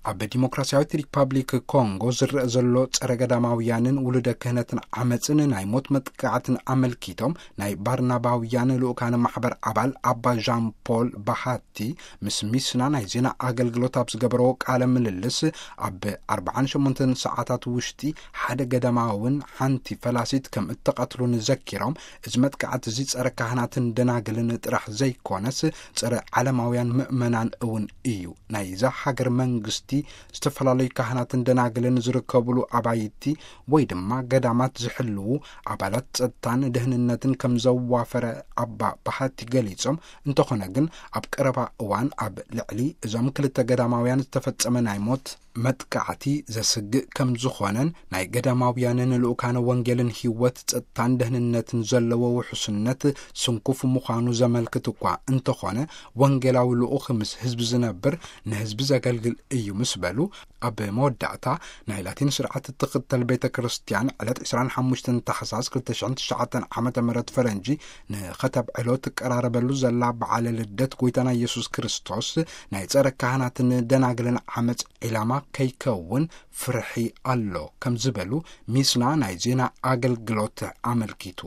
ኣብ ዲሞክራሲያዊት ሪፓብሊክ ኮንጎ ዝረአ ዘሎ ጸረ ገዳማውያንን ውሉደ ክህነትን ዓመጽን ናይ ሞት መጥቃዕትን ኣመልኪቶም፣ ናይ ባርናባውያን ልኡካነ ማሕበር ኣባል ኣባ ዣን ፖል ባሃቲ ምስ ሚስና ናይ ዜና ኣገልግሎት ኣብ ዝገበረዎ ቃለ ምልልስ፣ ኣብ ኣርባዓን ሸሞንተን ሰዓታት ውሽጢ ሓደ ገዳማውን ሓንቲ ፈላሲት ከም እተቐትሉን ዘኪሮም፣ እዚ መጥቃዕቲ እዚ ጸረ ካህናትን ደናግልን ጥራሕ ዘይኮነስ፣ ጸረ ዓለማውያን ምእመናን እውን እዩ። ናይዛ ሃገር መንግስቲ ዝተፈላለዩ ካህናትን ደናግልን ዝርከብሉ ኣባይቲ ወይ ድማ ገዳማት ዝሕልዉ ኣባላት ጸጥታን ደህንነትን ከም ዘዋፈረ ኣባ ባሃቲ ገሊጾም፣ እንተኾነ ግን ኣብ ቀረባ እዋን ኣብ ልዕሊ እዞም ክልተ ገዳማውያን ዝተፈጸመ ናይ ሞት መጥቃዕቲ ዘስግእ ከም ዝኾነን ናይ ገዳማውያንን ልኡካነ ወንጌልን ህይወት፣ ጸጥታን ደህንነትን ዘለዎ ውሕስነት ስንኩፍ ምዃኑ ዘመልክት እኳ እንተኾነ፣ ወንጌላዊ ልኡኽ ምስ ህዝቢ ዝነብር፣ ንህዝቢ ዘገልግል እዩ ምስ በሉ፣ ኣብ መወዳእታ ናይ ላቲን ስርዓት እትኽተል ቤተ ክርስቲያን ዕለት ዕስራን ሓሙሽተን ታሕሳስ ክልተ ሽሕን ትሽዓተን ዓመተ ምህረት ፈረንጂ ንኸተብዕሎ ትቀራረበሉ ዘላ በዓለ ልደት ጎይታና ኢየሱስ ክርስቶስ ናይ ጸረ ካህናትን ደናግልን ዓመጽ ዒላማ ከይከውን ፍርሒ ኣሎ ከም ዝበሉ ሚስና ናይ ዜና ኣገልግሎት ኣመልኪቱ።